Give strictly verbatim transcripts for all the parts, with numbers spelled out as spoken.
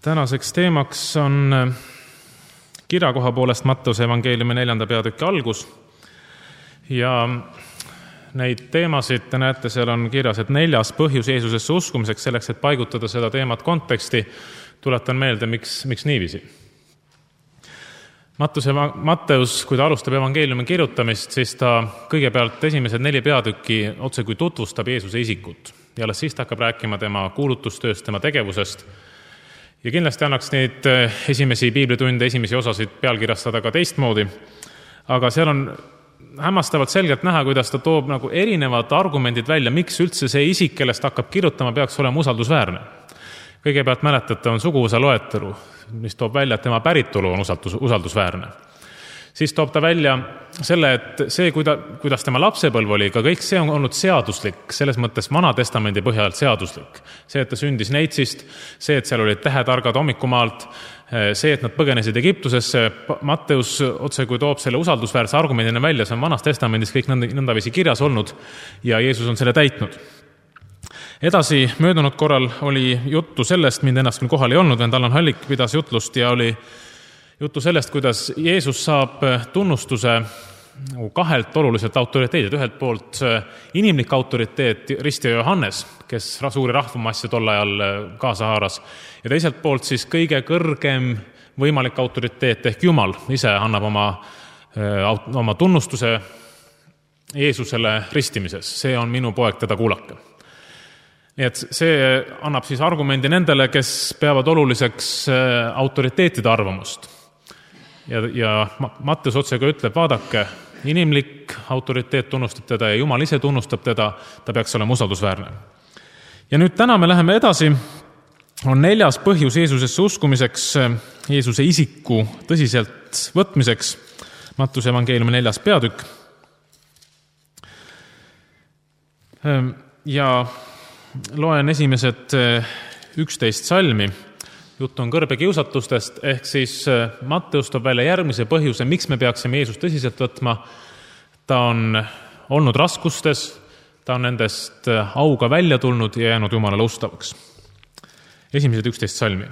Tänaseks teemaks on kirjakoha poolest Matteuse evangeeliumi neljanda peatüki algus ja neid teemasid te näete, seal on kirjas, et neljas põhjus Jeesusesse uskumiseks, selleks, et paigutada seda teemat konteksti, tuletan meelde, miks, miks niiviisi. Matteuse, Matteus, kui ta alustab evangeeliumi kirjutamist, siis ta kõigepealt esimesed neli peatükki otse kui tutvustab Jeesuse isikut ja alles siis ta hakkab rääkima tema kuulutustööst, tema tegevusest. Ja kindlasti annaks neid esimesi piiblitunde, esimesi osasid pealkirjastada ka teistmoodi, aga seal on hämmastavalt selgelt näha, kuidas ta toob nagu erinevad argumendid välja, miks üldse see isik, kellest hakkab kirjutama, peaks olema usaldusväärne. Kõigepealt mäletate, on suguvõsa loetelu, mis toob välja, et tema päritolu on usaldus, usaldusväärne. Siis toob ta välja selle, et see, kuidas tema lapsepõlv oli, ka kõik see on olnud seaduslik, selles mõttes Vana Testamendi põhjalt seaduslik. See, et ta sündis Neitsist, see, et seal olid tähetargad hommikumaalt, see, et nad põgenesid Egiptusesse, Matteus otse kui toob selle usaldusväärse argumendina välja, see on Vanas Testamendis kõik nõndaviisi kirjas olnud ja Jeesus on selle täitnud. Edasi, möödunud korral oli juttu sellest, mind ennast küll kohal ei olnud, vend Allan Hallik pidas jutlust ja oli juttu sellest, kuidas Jeesus saab tunnustuse kahelt oluliselt autoriteedilt. Ühelt poolt inimlik autoriteet Ristja Johannes, kes suuri rahvamassi tol ajal kaasa haaras, ja teiselt poolt siis kõige kõrgem võimalik autoriteet ehk Jumal ise annab oma, oma tunnustuse Jeesusele ristimises. See on minu poeg, teda kuulake. Nii et see annab siis argumendi nendele, kes peavad oluliseks autoriteetide arvamust. Ja, ja Matteus otsega ütleb, vaadake, inimlik autoriteet tunnustab teda ja Jumal ise tunnustab teda, ta peaks olema usaldusväärne. Ja nüüd täna me läheme edasi, on neljas põhjus Jeesusesse uskumiseks, Jeesuse isiku tõsiselt võtmiseks, Matteuse evangeeliumi neljas peatükk. Ja loen esimesed üksteist salmi. Jutt on kõrbekiusatustest, ehk siis Matteus toob välja järgmise põhjuse, miks me peaksime Jeesust tõsiselt võtma. Ta on olnud raskustes, ta on nendest auga välja tulnud ja jäänud Jumalale ustavaks. Esimesed üksteist salmi.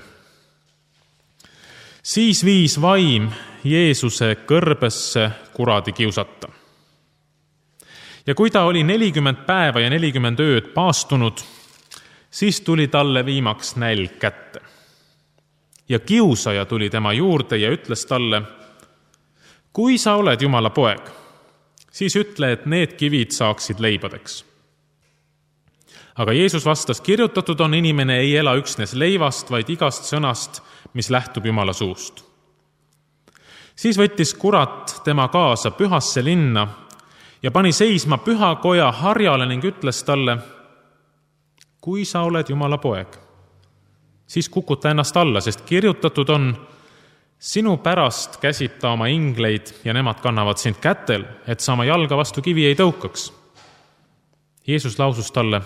Siis viis vaim Jeesuse kõrbesse kuradi kiusata. Ja kui ta oli nelikümmend päeva ja nelikümmend ööd paastunud, siis tuli talle viimaks nälg kätte. Ja kiusaja tuli tema juurde ja ütles talle, kui sa oled Jumala poeg, siis ütle, et need kivid saaksid leibadeks. Aga Jeesus vastas, kirjutatud on, inimene ei ela üksnes leivast, vaid igast sõnast, mis lähtub Jumala suust. Siis võttis kurat tema kaasa pühasse linna ja pani seisma püha koja harjale ning ütles talle, kui sa oled Jumala poeg, siis kukuta ennast alla, sest kirjutatud on, sinu pärast käsib ta oma ingleid ja nemad kannavad sind kätel, et sa oma jalga vastu kivi ei tõukaks. Jeesus lausus talle,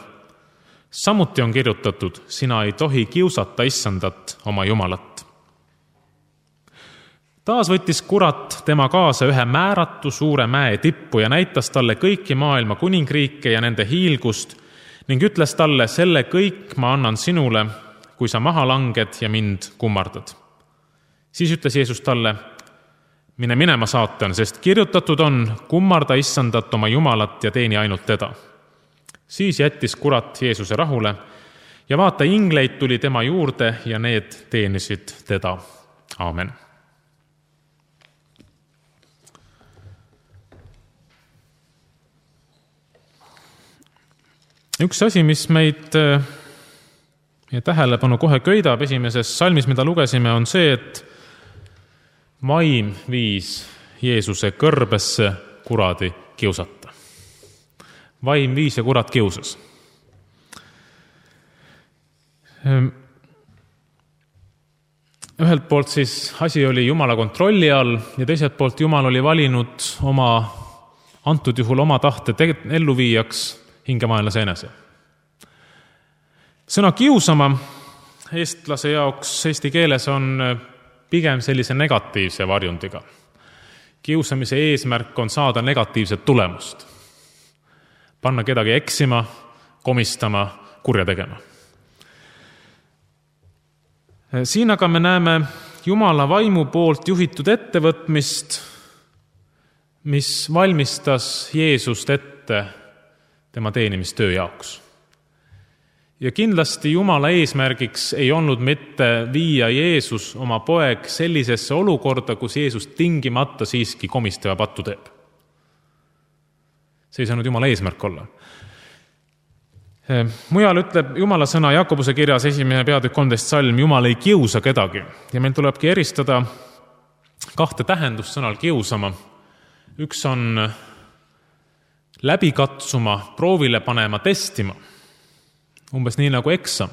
samuti on kirjutatud, sina ei tohi kiusata issandat oma Jumalat. Taas võttis kurat tema kaasa ühe määratu suure mäe tippu ja näitas talle kõiki maailma kuningriike ja nende hiilgust ning ütles talle, selle kõik ma annan sinule, kui sa maha langed ja mind kummardad. Siis ütles Jeesus talle, mine minema saatan, sest kirjutatud on, kummarda issandat oma Jumalat ja teeni ainult teda. Siis jättis kurat Jeesuse rahule ja vaata, ingleid tuli tema juurde ja need teenisid teda. Aamen. Üks asi, mis meid ja tähelepanu kohe köidab esimeses salmis, mida lugesime, on see, et vaim viis Jeesuse kõrbesse kuradi kiusata. Vaim viis ja kurat kiusas. Ühelt poolt siis asi oli Jumala kontrolli all ja teiselt poolt Jumal oli valinud oma, antud juhul oma tahte elluviijaks hingemaenlase enese. Sõna kiusama eestlase jaoks eesti keeles on pigem sellise negatiivse varjundiga. Kiusamise eesmärk on saada negatiivset tulemust. Panna kedagi eksima, komistama, kurja tegema. Siin aga me näeme Jumala vaimu poolt juhitud ettevõtmist, mis valmistas Jeesust ette tema teenimistöö jaoks. Ja kindlasti Jumala eesmärgiks ei olnud mitte viia Jeesus oma poeg sellisesse olukorda, kus Jeesus tingimata siiski komistava pattu teeb. See ei saanud Jumala eesmärk olla. Mujal ütleb Jumala sõna Jakobuse kirjas esimene peatükk kolmteist salm, Jumal ei kiusa kedagi. Ja meil tulebki eristada kahte tähendust sõnal kiusama. Üks on läbi katsuma, proovile panema, testima. Umbes nii nagu eksam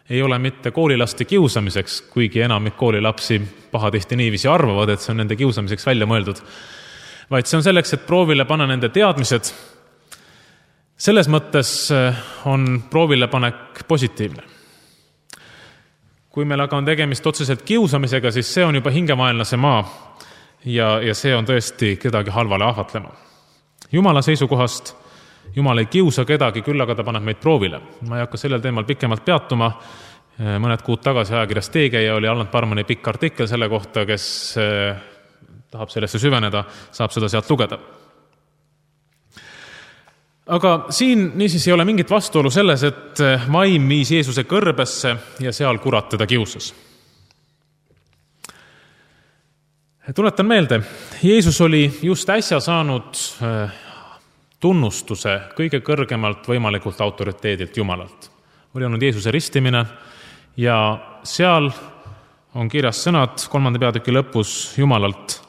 ei ole mitte koolilaste kiusamiseks, kuigi enamik koolilapsi pahatihti niiviisi arvavad, et see on nende kiusamiseks välja mõeldud, vaid see on selleks, et proovile panna nende teadmised. Selles mõttes on proovile panek positiivne. Kui meil aga on tegemist otseselt kiusamisega, siis see on juba hingemaenlase maa ja, ja see on tõesti kedagi halvale ahvatlema. Jumala seisukohast Jumal ei kiusa kedagi, küll aga ta paneb meid proovile. Ma ei hakka sellel teemal pikemalt peatuma. Mõned kuud tagasi ajakirjas Teegeja oli Allan Parmani pikk artikkel selle kohta, kes tahab sellesse süveneda, saab seda sealt lugeda. Aga siin niisiis ei ole mingit vastuolu selles, et vaim viis Jeesuse kõrbesse ja seal kurat teda kiusas. Tuletan meelde, Jeesus oli just äsja saanud tunnustuse kõige kõrgemalt võimalikult autoriteedilt Jumalalt. Oli olnud Jeesuse ristimine ja seal on kirjas sõnad kolmanda peatüki lõpus Jumalalt.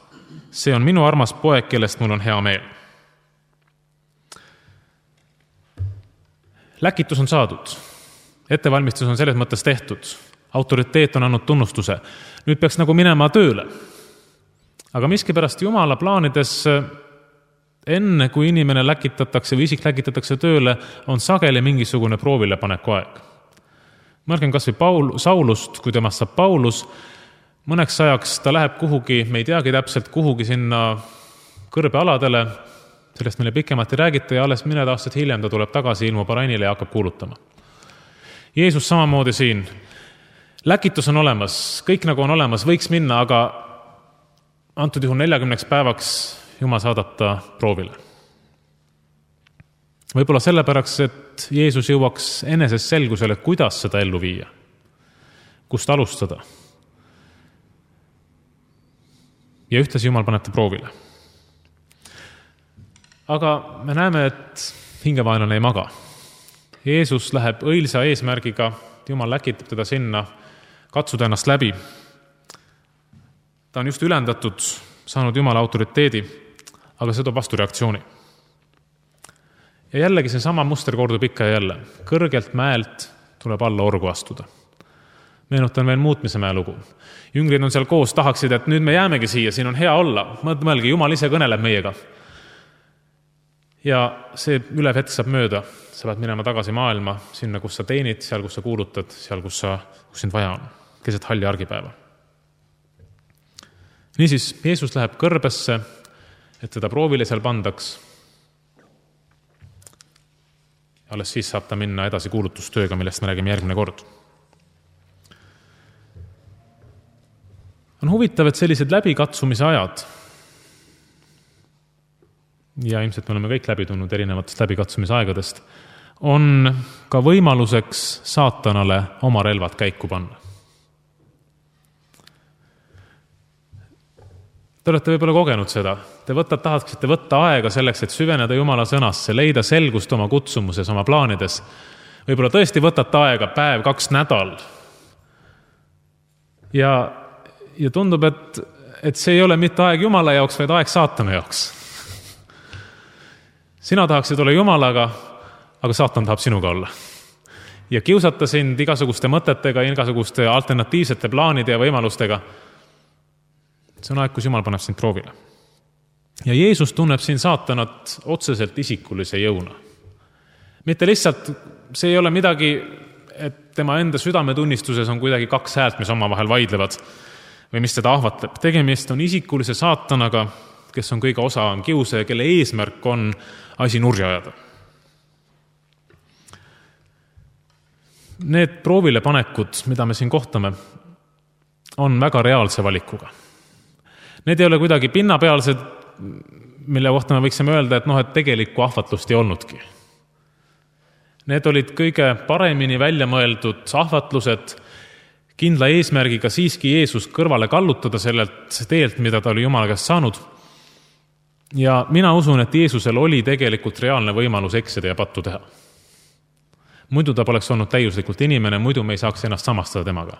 See on minu armas poeg, kellest mul on hea meel. Läkitus on saadud. Ettevalmistus on selles mõttes tehtud. Autoriteet on andnud tunnustuse. Nüüd peaks nagu minema tööle. Aga miskipärast Jumala plaanides enne, kui inimene läkitatakse või isik läkitatakse tööle, on sageli mingisugune proovile paneku aeg. Mõelgem kas või Paul, Saulust, kui temast saab Paulus, mõneks ajaks ta läheb kuhugi, me ei teagi täpselt kuhugi sinna kõrbealadele, sellest meile pikemalt ei räägita ja alles mõned aastad hiljem ta tuleb tagasi ilmu Parainile ja hakkab kuulutama. Jeesus samamoodi siin. Läkitus on olemas, kõik nagu on olemas, võiks minna, aga antud juhul neljakümneks päevaks Jumal saadab ta proovile. Võib-olla sellepärast, et Jeesus jõuaks enesest selgusele, kuidas seda ellu viia, kust alustada. Ja ühtlasi Jumal paneb ta proovile. Aga me näeme, et hingevaenlane ei maga. Jeesus läheb õilsa eesmärgiga, Jumal läkitab teda sinna, katsuda ennast läbi. Ta on just ülendatud, saanud Jumala autoriteedi, aga see toob vastu reaktsiooni. Ja jällegi see sama muster kordub ikka ja jälle. Kõrgelt mäelt tuleb alla orgu astuda. Meenutan veel muutmise mäe lugu. Jüngrid on seal koos, tahaksid, et nüüd me jäämegi siia, siin on hea olla. Mõelge, Jumal ise kõneleb meiega. Ja see ülev hetk saab mööda. Sa pead minema tagasi maailma, sinna, kus sa teenid, seal, kus sa kuulutad, seal, kus, sa, kus sind vaja on. Keset halli argipäeva. Niisiis, Jeesus läheb kõrbesse, et teda proovile seal pandaks. Ja alles siis saab ta minna edasi kuulutustööga, millest me räägime järgmine kord. On huvitav, et sellised läbikatsumise ajad, ja ilmselt me oleme kõik läbi tulnud erinevatest läbikatsumise aegadest, on ka võimaluseks saatanale oma relvad käiku panna. Te olete võib-olla kogenud seda. Te võtad, tahaksite võtta aega selleks, et süveneda Jumala sõnasse, leida selgust oma kutsumuses, oma plaanides. Võib-olla tõesti võtate aega päev, kaks nädal. Ja, ja tundub, et, et see ei ole mitte aeg Jumala jaoks, vaid aeg saatana jaoks. Sina tahaksid olla Jumalaga, aga saatan tahab sinuga olla. Ja kiusata sind igasuguste mõtetega, igasuguste alternatiivsete plaanide ja võimalustega. See on aeg, kus Jumal paneb sind proovile. Ja Jeesus tunneb siin saatanat otseselt isikulise jõuna. Mitte lihtsalt, see ei ole midagi, et tema enda südametunnistuses on kuidagi kaks häält, mis omavahel vaidlevad või mis teda ahvatleb. Tegemist on isikulise saatanaga, kes on kõige osa on kiuse ja kelle eesmärk on asi nurja ajada. Need proovile panekud, mida me siin kohtame, on väga reaalse valikuga. Need ei ole kuidagi pinnapealsed, mille kohta me võiksime öelda, et noh, et tegelikku ahvatlust ei olnudki. Need olid kõige paremini välja mõeldud ahvatlused, kindla eesmärgiga siiski Jeesus kõrvale kallutada sellelt teelt, mida ta oli Jumala käest saanud. Ja mina usun, et Jeesusel oli tegelikult reaalne võimalus eksida ja pattu teha. Muidu ta poleks olnud täiuslikult inimene, muidu me ei saaks ennast samastada temaga.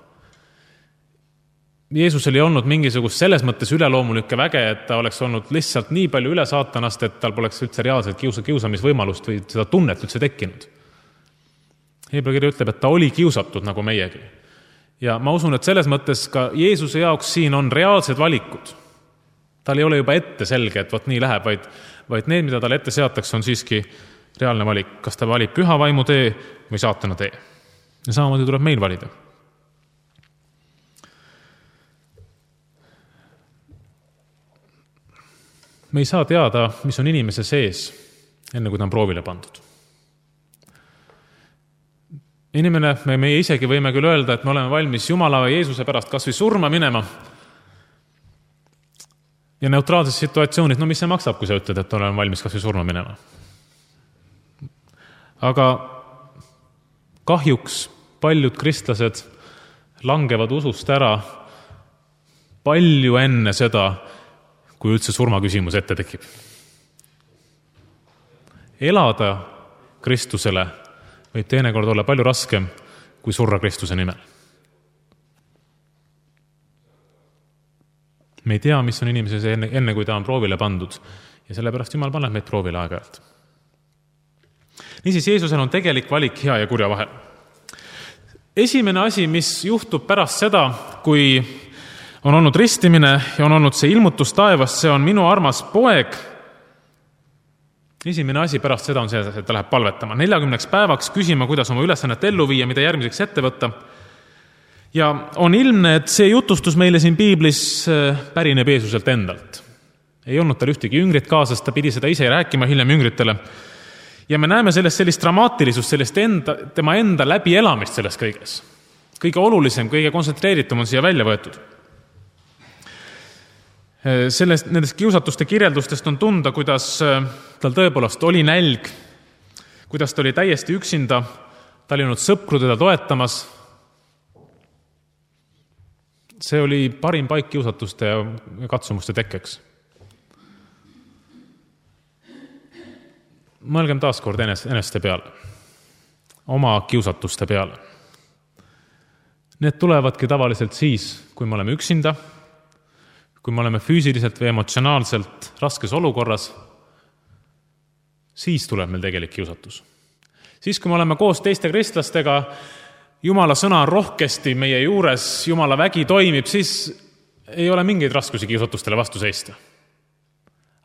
Jeesusel ei olnud mingisugust selles mõttes üleloomulikke väge, et ta oleks olnud lihtsalt nii palju üle saatanast, et tal poleks üldse reaalselt kiusa, kiusamisvõimalust või seda tunnet üldse tekkinud. Hebra kiri ütleb, et ta oli kiusatud nagu meiegi. Ja ma usun, et selles mõttes ka Jeesuse jaoks siin on reaalsed valikud. Tal ei ole juba ette selge, et võt nii läheb, vaid, vaid need, mida tal ette seatakse, on siiski reaalne valik. Kas ta valib püha vaimu tee või saatana tee. Ja samamoodi tuleb meil valida. Me ei saa teada, mis on inimese sees, enne kui ta on proovile pandud. Inimene, me, me isegi võime küll öelda, et me oleme valmis Jumala või Jeesuse pärast kas või surma minema. Ja neutraalses situatsioonid, no mis see maksab, kui sa ütled, et oleme valmis kas või surma minema. Aga kahjuks paljud kristlased langevad usust ära palju enne seda, kui üldse surma küsimus ette tekib. Elada Kristusele võib teinekord olla palju raskem kui surra Kristuse nimel. Me ei tea, mis on inimeses enne, enne kui ta on proovile pandud ja sellepärast Jumal paneb meid proovile aeg-ajalt. Niisiis, Jeesusel on tegelik valik hea ja kurja vahel. Esimene asi, mis juhtub pärast seda, kui on olnud ristimine ja on olnud see ilmutus taevast, see on minu armas poeg. Esimene asi pärast seda on see, et ta läheb palvetama. neljakümneks päevaks küsima, kuidas oma ülesannet ellu viia, mida järgmiseks ette võtta. Ja on ilmne, et see jutustus meile siin Piiblis pärineb Jeesuselt endalt. Ei olnud tal ühtegi jüngrit kaasas, ta pidi seda ise rääkima hiljem jüngritele. Ja me näeme sellest sellist dramaatilisust, sellest enda, tema enda läbi elamist selles kõiges. Kõige olulisem, kõige kontsentreeritum on siia välja võetud. Sellest, nendest kiusatuste kirjeldustest on tunda, kuidas tal tõepoolest oli nälg, kuidas ta oli täiesti üksinda, ta oli olnud sõpru teda toetamas. See oli parim paik kiusatuste ja katsumuste tekkeks. Mõelgem taaskord eneste peale, oma kiusatuste peale. Need tulevadki tavaliselt siis, kui me oleme üksinda, kui me oleme füüsiliselt või emotsionaalselt raskes olukorras, siis tuleb meil tegelik kiusatus. Siis, kui me oleme koos teiste kristlastega, Jumala sõna on rohkesti meie juures, Jumala vägi toimib, siis ei ole mingeid raskusi kiusatustele vastu seista.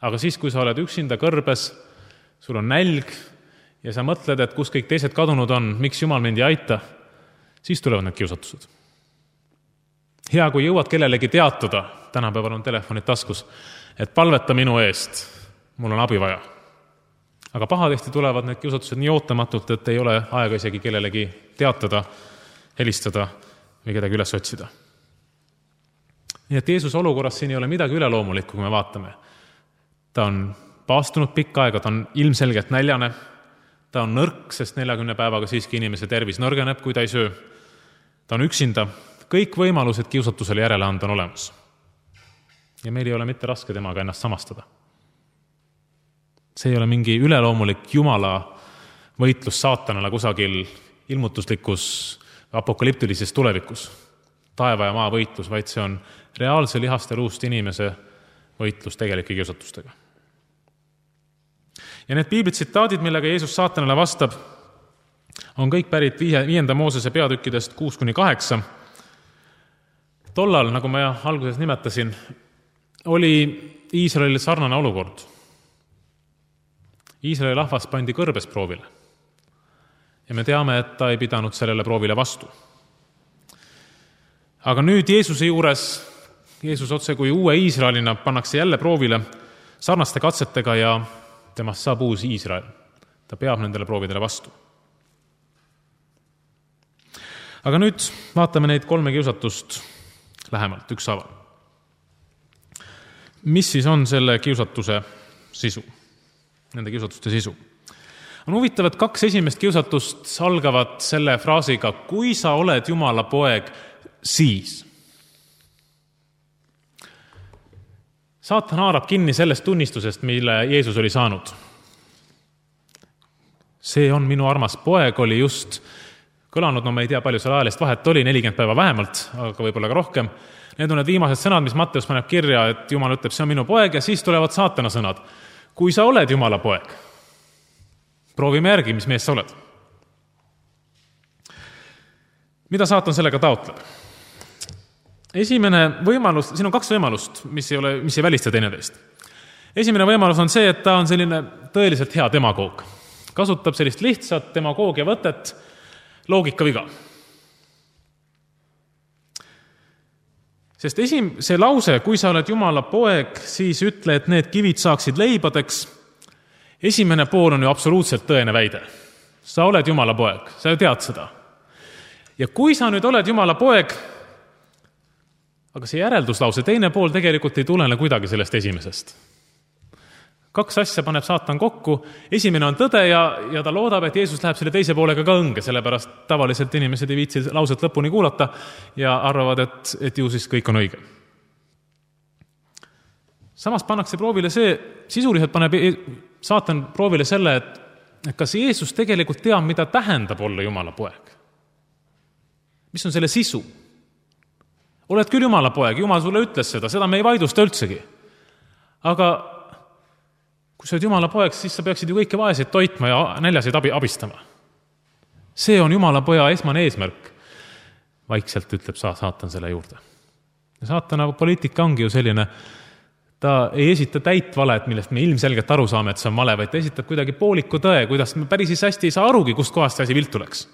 Aga siis, kui sa oled üksinda kõrbes, sul on nälg ja sa mõtled, et kus kõik teised kadunud on, miks Jumal mind ei aita, siis tulevad need kiusatused. Hea, kui jõuad kellelegi teatada, tänapäeval on telefonid taskus, et palveta minu eest, mul on abi vaja. Aga pahatihti tulevad need kiusatused nii ootamatult, et ei ole aega isegi kellelegi teatada, helistada või kedagi üles otsida. Nii et Jeesuse olukorras siin ei ole midagi üleloomulikku, kui me vaatame. Ta on paastunud pikka aega, ta on ilmselgelt näljane, ta on nõrk, sest neljakümne päevaga siiski inimese tervis nõrgeneb, kui ta ei söö. Ta on üksinda, kõik võimalused kiusatusele järele anda on olemas. Ja meil ei ole mitte raske temaga ennast samastada. See ei ole mingi üleloomulik Jumala võitlus saatanale kusagil ilmutuslikus apokaliptilises tulevikus. Taeva ja maa võitlus, vaid see on reaalse lihaste luust inimese võitlus tegelike kiusatustega. Ja need piibli tsitaadid, millega Jeesus saatanale vastab, on kõik pärit viienda Moosese peatükkidest kuus kuni kaheksa. Tollal, nagu ma alguses nimetasin, oli Iisraelil sarnane olukord. Iisraeli rahvas pandi kõrbes proovile. Ja me teame, et ta ei pidanud sellele proovile vastu. Aga nüüd Jeesuse juures, Jeesus otse kui uue Iisraelina pannakse jälle proovile sarnaste katsetega ja temast saab uus Iisrael. Ta peab nendele proovidele vastu. Aga nüüd vaatame neid kolme kiusatust lähemalt ükshaaval. Mis siis on selle kiusatuse sisu? Nende kiusatuste sisu. On huvitav, et kaks esimest kiusatust algavad selle fraasiga, kui sa oled Jumala poeg, siis. Saatan haarab kinni sellest tunnistusest, mille Jeesus oli saanud. See on minu armas poeg, oli just kõlanud, no me ei tea, palju seal ajalist vahet oli, nelikümmend päeva vähemalt, aga võib-olla ka rohkem. Need on need viimased sõnad, mis Matteus paneb kirja, et Jumal ütleb, see on minu poeg, ja siis tulevad saatana sõnad. Kui sa oled Jumala poeg, proovime järgi, mis mees sa oled. Mida saatan sellega taotleb? Esimene võimalus, siin on kaks võimalust, mis ei, ole, mis ei välista teineteist. Esimene võimalus on see, et ta on selline tõeliselt hea demagoog. Kasutab sellist lihtsat demagoogia võtet, loogika viga. Sest esim, see lause, kui sa oled Jumala poeg, siis ütle, et need kivid saaksid leibadeks. Esimene pool on ju absoluutselt tõene väide. Sa oled Jumala poeg, sa ju tead seda. Ja kui sa nüüd oled Jumala poeg, aga see järelduslause, teine pool tegelikult ei tulene kuidagi sellest esimesest. Kaks asja paneb saatan kokku. Esimene on tõde ja, ja ta loodab, et Jeesus läheb selle teise poolega ka õnge, sellepärast tavaliselt inimesed ei viitsi lauset lõpuni kuulata ja arvavad, et, et ju siis kõik on õige. Samas pannakse proovile see, sisuliselt paneb saatan proovile selle, et kas Jeesus tegelikult teab, mida tähendab olla Jumala poeg. Mis on selle sisu? Oled küll Jumala poeg, Jumal sulle ütles seda, seda me ei vaidlusta üldsegi. Aga kui sa oled Jumala poeg, siis sa peaksid ju kõiki vaeseid toitma ja näljaseid abi, abistama. See on Jumala poja esmane eesmärk. Vaikselt ütleb sa, saatan selle juurde. Ja saatana poliitika ongi ju selline, ta ei esita täit valet, millest me ilmselgelt aru saame, et see on vale, vaid ta esitab kuidagi pooliku tõe, kuidas me päris hästi ei saa arugi, kust kohast see asi viltu läks.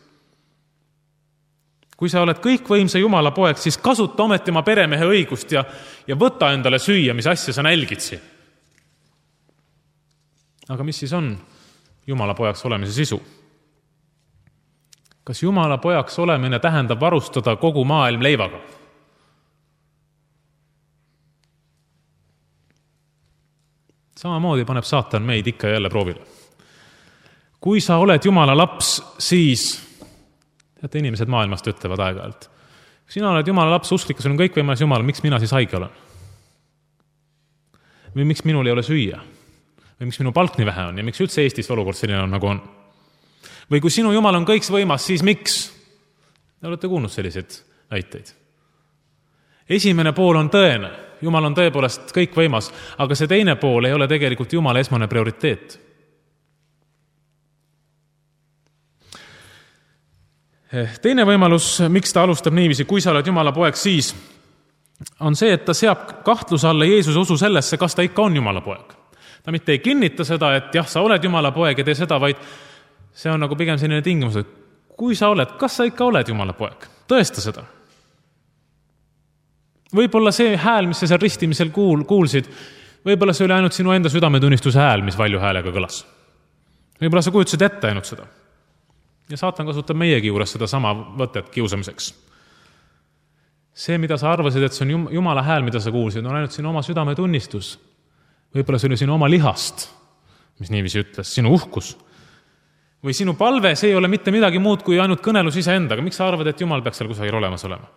Kui sa oled kõikvõimsa Jumala poeg, siis kasuta ometi oma peremehe õigust ja, ja võta endale süüa, mis asja sa nälgid siin. Aga mis siis on Jumala pojaks olemise sisu? Kas Jumala pojaks olemine tähendab varustada kogu maailm leivaga? Samamoodi paneb saatan meid ikka jälle proovile. Kui sa oled Jumala laps, siis teate, inimesed maailmast ütlevad aeg-ajalt. Kui sina oled Jumala laps, usklik, sul on kõik võimalis Jumal, miks mina siis haige olen? Või miks minul ei ole süüa? Või miks minu palk nii vähe on? Ja miks üldse Eestis olukord selline on, nagu on? Või kui sinu Jumal on kõiks võimas, siis miks? Te olete kuulnud selliseid väiteid. Esimene pool on tõene. Jumal on tõepoolest kõik võimas, aga see teine pool ei ole tegelikult Jumala esmane prioriteet. Teine võimalus, miks ta alustab niiviisi, kui sa oled Jumala poeg, siis on see, et ta seab kahtluse alla Jeesuse usu sellesse, kas ta ikka on Jumala poeg. Ta mitte ei kinnita seda, et jah, sa oled Jumala poeg ja tee seda, vaid see on nagu pigem selline tingimus, et kui sa oled, kas sa ikka oled Jumala poeg? Tõesta seda. Võib-olla see hääl, mis sa seal ristimisel kuul, kuulsid, võib-olla see oli ainult sinu enda südametunnistuse hääl, mis valju häälega kõlas. Võib-olla sa kujutasid ette ainult seda. Ja saatan kasutab meiegi juures seda sama võtet kiusamiseks. See, mida sa arvasid, et see on Jumala hääl, mida sa kuulsid, on ainult sinu oma südametunnistus. Võib-olla see oli sinu oma lihast, mis niiviisi ütles, sinu uhkus. Või sinu palve, see ei ole mitte midagi muud kui ainult kõnelus iseendaga. Miks sa arvad, et Jumal peaks seal kusagil olemas olema?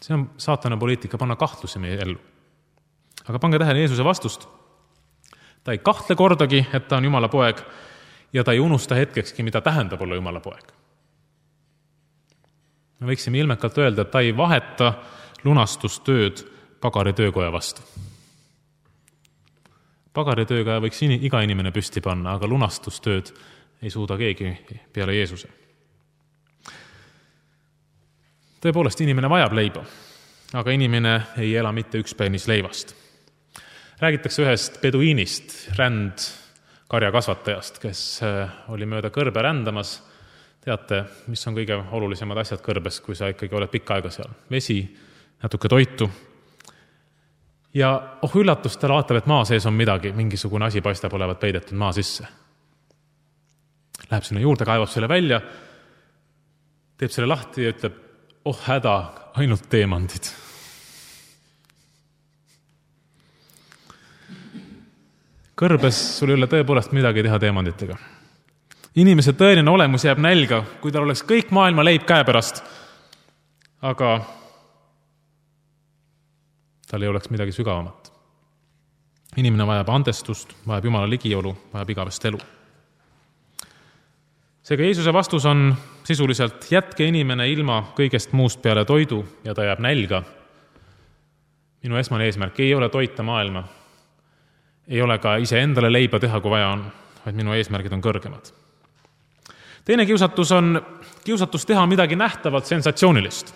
See on saatana poliitika, panna kahtlusi meie ellu. Aga pange tähele Jeesuse vastust. Ta ei kahtle kordagi, et ta on Jumala poeg, ja ta ei unusta hetkekski, mida tähendab olla Jumala poeg. Me võiksime ilmekalt öelda, et ta ei vaheta lunastustööd pagari töökoja vastu. Pagari tööga võiks iga inimene püsti panna, aga lunastustööd ei suuda keegi peale Jeesuse. Tõepoolest, inimene vajab leiba, aga inimene ei ela mitte üks peenis leivast. Räägitakse ühest peduiinist, ränd karjakasvatajast, kes oli mööda kõrbe rändamas. Teate, mis on kõige olulisemad asjad kõrbes, kui sa ikkagi oled pikka aega seal? Vesi, natuke toitu. Ja oh üllatust, ta vaatab, et maa sees on midagi, mingisugune asi paistab olevat peidetud maa sisse. Läheb sinna juurde, kaevab selle välja, teeb selle lahti ja ütleb, oh häda, ainult teemandid. Kõrbes sul ei ole tõepoolest midagi teha teemanditega. Inimese tõeline olemus jääb nälga, kui tal oleks kõik maailma leib käepärast, aga tal ei oleks midagi sügavamat. Inimene vajab andestust, vajab Jumala ligiolu, vajab igavest elu. Seega Jeesuse vastus on sisuliselt jätke inimene ilma kõigest muust peale toidu ja ta jääb nälga. Minu esmane eesmärk ei ole toita maailma, ei ole ka ise endale leiba teha, kui vaja on, vaid minu eesmärgid on kõrgemad. Teine kiusatus on kiusatus teha midagi nähtavalt sensatsioonilist.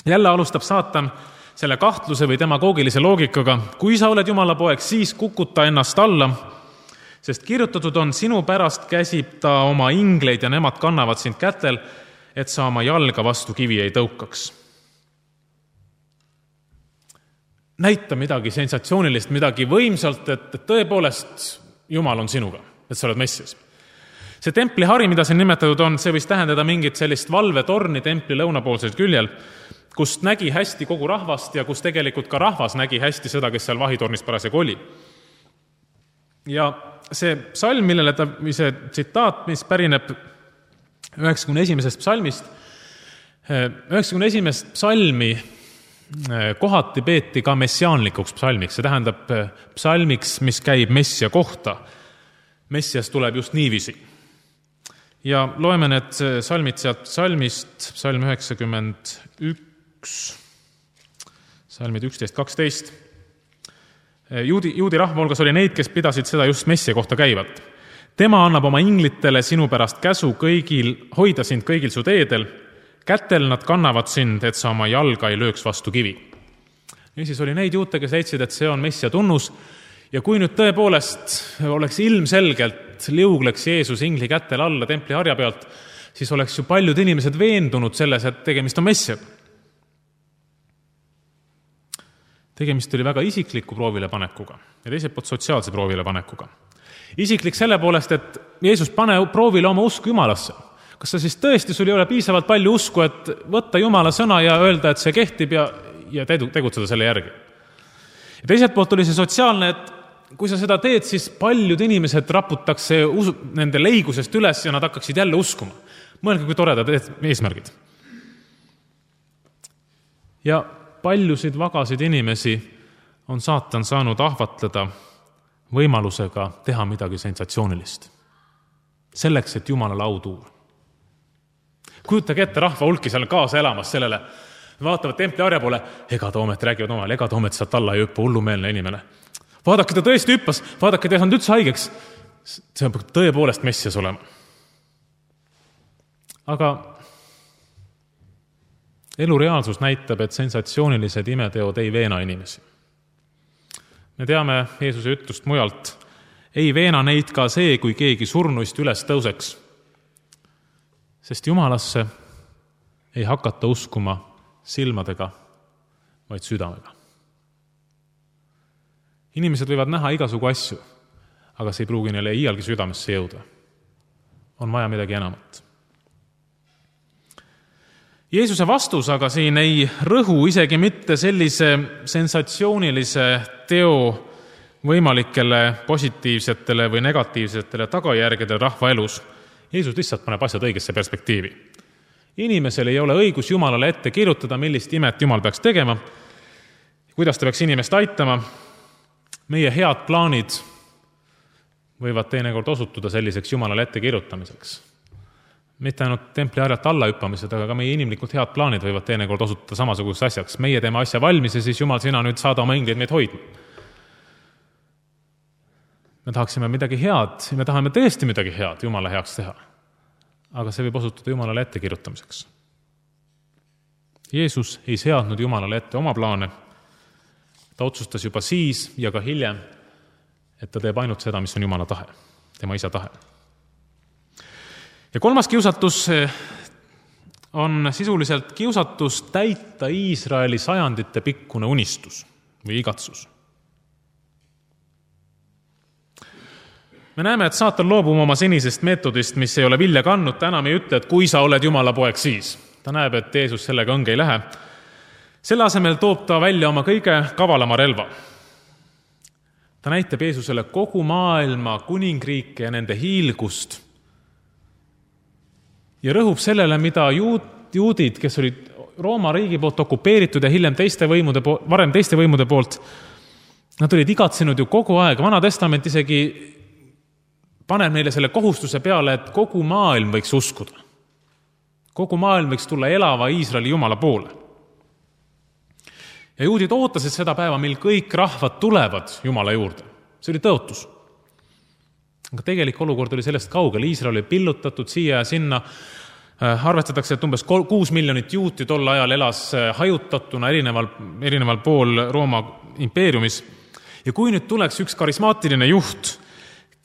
Jälle alustab saatan selle kahtluse või demagoogilise loogikaga, kui sa oled Jumala poeg, siis kukuta ennast alla, sest kirjutatud on, sinu pärast käsib ta oma ingleid ja nemad kannavad sind kätel, et sa oma jalga vastu kivi ei tõukaks. Näita midagi sensatsioonilist, midagi võimsalt, et tõepoolest Jumal on sinuga, et sa oled Messias. See templi hari, mida siin nimetatud on, see võis tähendada mingit sellist valvetorni templi lõunapoolsel küljel, kust nägi hästi kogu rahvast ja kus tegelikult ka rahvas nägi hästi seda, kes seal vahitornis parasjagu oli. Ja see psalm, millele ta, või see tsitaat, mis pärineb üheksakümne esimesest psalmist, üheksakümne esimest psalmi kohati peeti ka messiaanlikuks psalmiks, see tähendab psalmiks, mis käib Messia kohta. Messias tuleb just niiviisi. Ja loeme need psalmid sealt psalmist, psalm üheksakümmend üks, psalmid üksteist kaksteist. Juudi, juudi rahva hulgas oli neid, kes pidasid seda just Messia kohta käivat. Tema annab oma inglitele sinu pärast käsu kõigil, hoida sind kõigil su teedel, kätel nad kannavad sind, et sa oma jalga ei lööks vastu kivi. Ja siis oli neid juute, kes leidsid, et see on Messia tunnus, ja kui nüüd tõepoolest oleks ilmselgelt liugleks Jeesus ingli kätel alla templi harja pealt, siis oleks ju paljud inimesed veendunud selles, et tegemist on Messiaga. Tegemist oli väga isikliku proovile panekuga ja teiselt poolt sotsiaalse proovile panekuga. Isiklik selle poolest, et Jeesus pane proovile oma usku Jumalasse. Kas sa siis tõesti, sul ei ole piisavalt palju usku, et võtta Jumala sõna ja öelda, et see kehtib ja, ja tegutseda selle järgi. Ja teiselt poolt oli see sotsiaalne, et kui sa seda teed, siis paljud inimesed raputakse usu, nende leigusest üles ja nad hakkaksid jälle uskuma. Mõelge, kui toredad eesmärgid. Ja paljusid vagasid inimesi on saatan saanud ahvatleda võimalusega teha midagi sensatsioonilist. Selleks, et Jumalale au tuua. Kujutage ette rahva hulki seal kaasa elamas sellele. Vaatavad templi harja poole, ega toomet räägivad omale, ega toomet sealt alla ei hüppa, hullumeelne inimene. Vaadake, ta tõesti hüppas, vaadake, ta ei saanud üldse haigeks. See on tõepoolest Messias olema. Aga elu reaalsus näitab, et sensatsioonilised imeteod ei veena inimesi. Me teame Jeesuse ütlust mujalt, ei veena neid ka see, kui keegi surnuist üles tõuseks, sest Jumalasse ei hakata uskuma silmadega, vaid südamega. Inimesed võivad näha igasugu asju, aga see ei pruugi neile iialgi südamesse jõuda. On vaja midagi enamat. Jeesuse vastus aga siin ei rõhu isegi mitte sellise sensatsioonilise teo võimalikele positiivsetele või negatiivsetele tagajärgedele rahva elus. Jeesus lihtsalt paneb asjad õigesse perspektiivi. Inimesel ei ole õigus Jumalale ette kirjutada, millist imet Jumal peaks tegema, kuidas ta peaks inimest aitama. Meie head plaanid võivad teinekord osutuda selliseks Jumalale ette kirjutamiseks. Mitte ainult templi harjalt alla hüppamised, aga ka meie inimlikult head plaanid võivad teinekord osutuda samasuguseks asjaks. Meie teeme asja valmis ja siis Jumal, sina nüüd saada oma ingleid meid hoidma. Me tahaksime midagi head, me tahame tõesti midagi head Jumala heaks teha. Aga see võib osutuda Jumalale ette kirjutamiseks. Jeesus ei seadnud Jumalale ette oma plaane. Ta otsustas juba siis ja ka hiljem, et ta teeb ainult seda, mis on Jumala tahe, tema isa tahe. Ja kolmas kiusatus on sisuliselt kiusatus täita Iisraeli sajandite pikkune unistus või igatsus. Me näeme, et saatan loobub oma senisest meetodist, mis ei ole vilja kandnud, ta enam ei ütle, et kui sa oled Jumala poeg siis. Ta näeb, et Jeesus sellega õnge ei lähe. Selle asemel toob ta välja oma kõige kavalama relva. Ta näitab Jeesusele kogu maailma kuningriike ja nende hiilgust ja rõhub sellele, mida juud, juudid, kes olid Rooma riigi poolt okupeeritud ja hiljem teiste võimude poolt, varem teiste võimude poolt, nad olid igatsenud ju kogu aeg. Vana testament isegi paneb neile selle kohustuse peale, et kogu maailm võiks uskuda. Kogu maailm võiks tulla elava Iisraeli Jumala poole. Ja juudid ootasid seda päeva, mil kõik rahvad tulevad Jumala juurde. See oli tõotus. Aga tegelik olukord oli sellest kaugel. Iisrael oli pillutatud siia ja sinna. Arvestatakse, et umbes kuus miljonit juuti tol ajal elas hajutatuna erineval, erineval pool Rooma impeeriumis. Ja kui nüüd tuleks üks karismaatiline juht,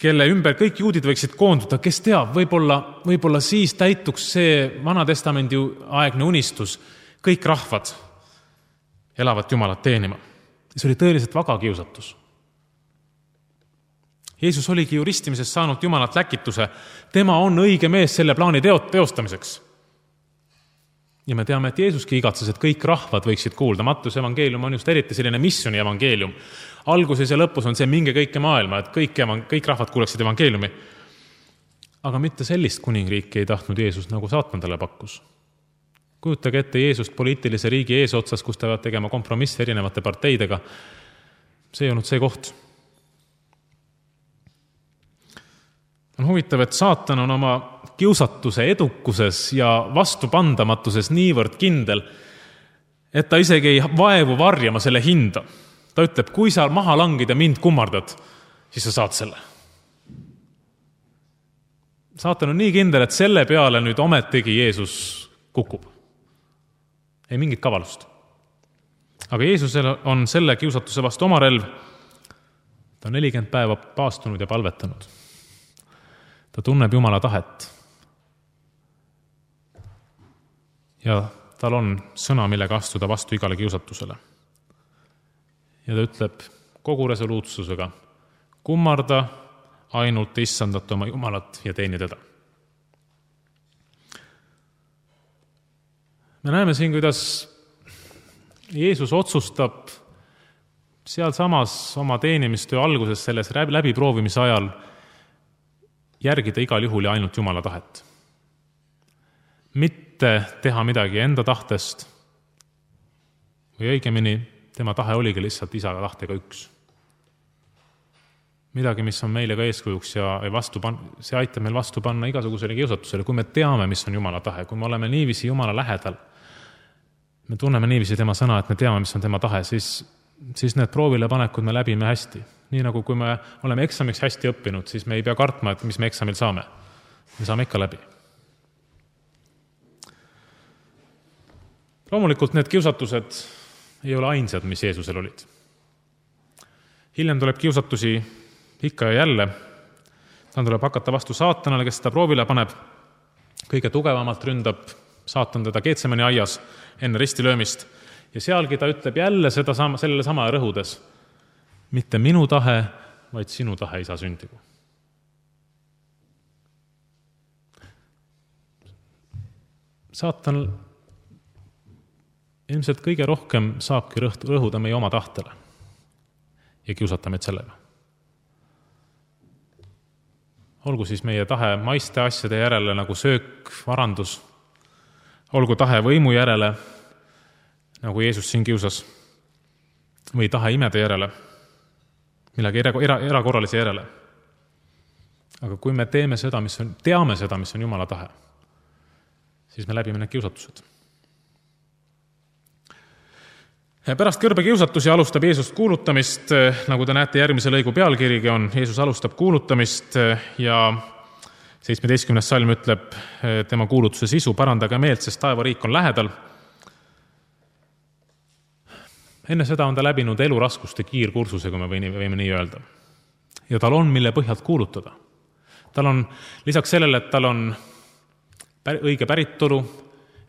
kelle ümber kõik juudid võiksid koonduda, kes teab, võib-olla, võib-olla siis täituks see Vana Testamendi aegne unistus, kõik rahvad elavat Jumalat teenima. See oli tõeliselt vaga kiusatus. Jeesus oligi ju ristimisest saanud Jumalat läkituse. Tema on õige mees selle plaani teot teostamiseks. Ja me teame, et Jeesuski igatses, et kõik rahvad võiksid kuulda. Mattuse evangeelium on just eriti selline missioni evangeelium. Alguses ja lõpus on see minge kõike maailma, et kõik, kõik rahvad kuuleksid evangeeliumi. Aga mitte sellist kuningriiki ei tahtnud Jeesus, nagu saatan talle pakkus. Kujutage ette Jeesust poliitilise riigi eesotsas, kus ta peab tegema kompromisse erinevate parteidega. See ei olnud see koht. On huvitav, et saatan on oma kiusatuse edukuses ja vastupandamatuses niivõrd kindel, et ta isegi ei vaevu varjama selle hinda. Ta ütleb, kui sa maha langid ja mind kummardad, siis sa saad selle. Saatan on nii kindel, et selle peale nüüd ometigi Jeesus kukub. Ei mingit kavalust. Aga Jeesusel on selle kiusatuse vastu oma relv. Ta on nelikümmend päeva paastunud ja palvetanud. Ta tunneb Jumala tahet. Ja tal on sõna, millega astuda vastu igale kiusatusele. Ja ta ütleb kogu resoluutsusega, kummarda ainult issandat oma Jumalat ja teeni teda. Me näeme siin, kuidas Jeesus otsustab seal samas oma teenimistöö alguses selles läbiproovimise ajal järgida igal juhul ja ainult Jumala tahet. Mitte teha midagi enda tahtest või õigemini tema tahe oligi lihtsalt isa tahtega üks. Midagi, mis on meile ka eeskujuks ja vastu pan- see aitab meil vastu panna igasugusele kiusatusele, kui me teame, mis on Jumala tahe, kui me oleme niiviisi Jumala lähedal, me tunneme niiviisi tema sõna, et me teame, mis on tema tahe, siis, siis need proovile panekud me läbime hästi. Nii nagu kui me oleme eksamiks hästi õppinud, siis me ei pea kartma, et mis me eksamil saame. Me saame ikka läbi. Loomulikult need kiusatused ei ole ainsad, mis Jeesusel olid. Hiljem tuleb kiusatusi ikka ja jälle. Ta tuleb hakata vastu saatanale, kes seda proovile paneb. Kõige tugevamalt ründab saatan teda Getsemani aias enne ristilöömist. Ja sealgi ta ütleb jälle seda sama, sellele sama rõhudes. Mitte minu tahe, vaid sinu tahe ei saa sündigu. Saatan ilmselt kõige rohkem saabki rõhuda meie oma tahtele ja kiusata meid sellega. Olgu siis meie tahe maiste asjade järele nagu söök, varandus, olgu tahe võimu järele, nagu Jeesus siin kiusas, või tahe imede järele, millegi era, era, erakorralise järele. Aga kui me teeme seda, mis on, teame seda, mis on Jumala tahe, siis me läbime need kiusatused. Pärast kõrbe kiusatusi alustab Jeesus kuulutamist, nagu te näete järgmise lõigu pealkirigi on, Jeesus alustab kuulutamist ja seitsmeteistkümnes salm ütleb tema kuulutuse sisu, parandage meelt, sest taevariik on lähedal. Enne seda on ta läbinud eluraskuste kiirkursuse, kui me võime nii öelda. Ja tal on, mille põhjalt kuulutada. Tal on lisaks sellele, et tal on õige päritolu,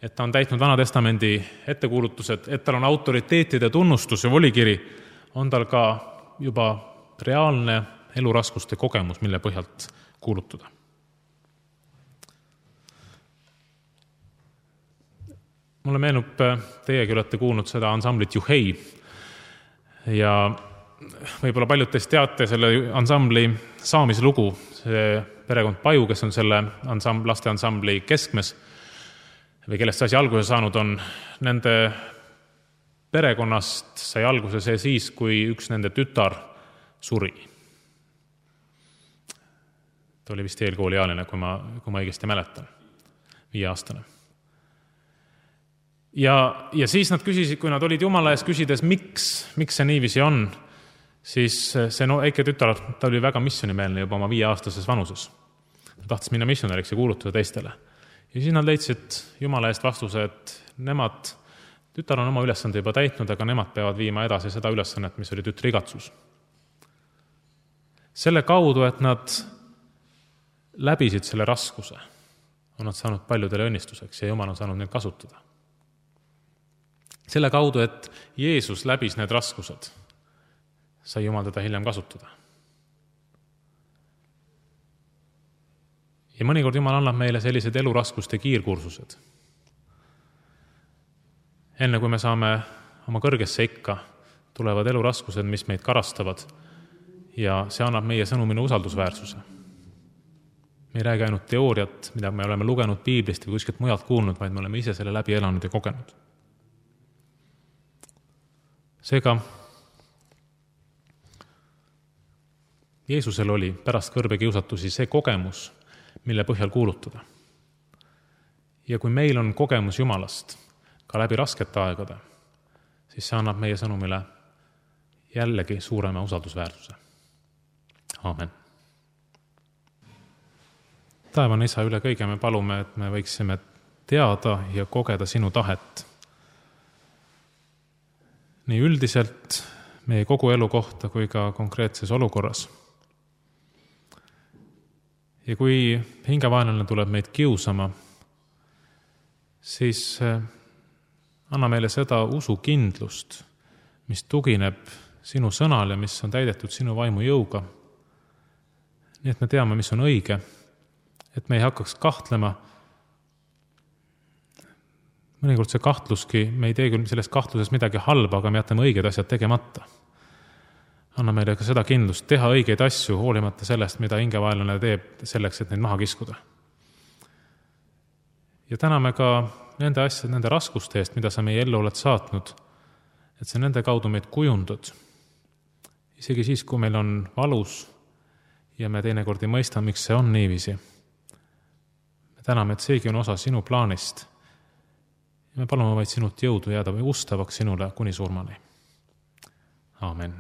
et ta on täitnud Vana Testamendi ettekuulutused, et tal on autoriteetide tunnustus ja volikiri, on tal ka juba reaalne eluraskuste kogemus, mille põhjalt kuulutada. Mulle meenub, teiegi olete kuulnud seda ansamblit Juhei ja võib-olla paljud teist teate selle ansambli saamislugu. See perekond Paju, kes on selle ansambl, laste ansambli keskmes või kellest see asi alguse saanud on, nende perekonnast sai alguse see siis, kui üks nende tütar suri. Ta oli vist eelkooliealine, kui ma, kui ma õigesti mäletan, viieaastane. Ja, ja siis nad küsisid, kui nad olid Jumala ees küsides, miks, miks see niiviisi on, siis see no, äike tütar, ta oli väga missionimeelne juba oma viieaastases vanuses. Ta tahtis minna missionäriks ja kuulutada teistele. Ja siis nad leidsid Jumala eest vastuse, et nemad, tütar on oma ülesande juba täitnud, aga nemad peavad viima edasi seda ülesannet, mis oli tütri igatsus. Selle kaudu, et nad läbisid selle raskuse, on nad saanud paljudele õnnistuseks ja Jumal on saanud neid kasutada. Selle kaudu, et Jeesus läbis need raskused, sai Jumal teda hiljem kasutada. Ja mõnikord Jumal annab meile sellised eluraskuste kiirkursused. Enne kui me saame oma kõrgesse ikka, tulevad eluraskused, mis meid karastavad ja see annab meie sõnumine usaldusväärsuse. Me ei räägi ainult teooriat, mida me oleme lugenud piiblist või kuskilt mujalt kuulnud, vaid me oleme ise selle läbi elanud ja kogenud. Seega, Jeesusel oli pärast kõrbekiusatusi see kogemus, mille põhjal kuulutada. Ja kui meil on kogemus Jumalast ka läbi raskete aegade, siis see annab meie sõnumile jällegi suurema usaldusväärsuse. Aamen. Taevane Isa, üle kõige me palume, et me võiksime teada ja kogeda sinu tahet. Nii üldiselt meie kogu elu kohta kui ka konkreetses olukorras. Ja kui hingevaenlane tuleb meid kiusama, siis anna meile seda usukindlust, mis tugineb sinu sõnal ja mis on täidetud sinu vaimu jõuga. Nii et me teame, mis on õige, et me ei hakkaks kahtlema. Mõnikord see kahtluski, me ei tee küll sellest kahtluses midagi halba, aga me jätame õiged asjad tegemata. Anna meile ka seda kindlust teha õigeid asju, hoolimata sellest, mida hingevaenlane teeb selleks, et neid maha kiskuda. Ja täname ka nende asjad, nende raskuste eest, mida sa meie ellu oled saatnud, et sa nende kaudu meid kujundad. Isegi siis, kui meil on valus ja me teinekord ei mõista, miks see on niiviisi. Me täname, et seegi on osa sinu plaanist. Me palume vaid sinult jõudu jääda või ustavaks sinule kuni surmani. Aamen.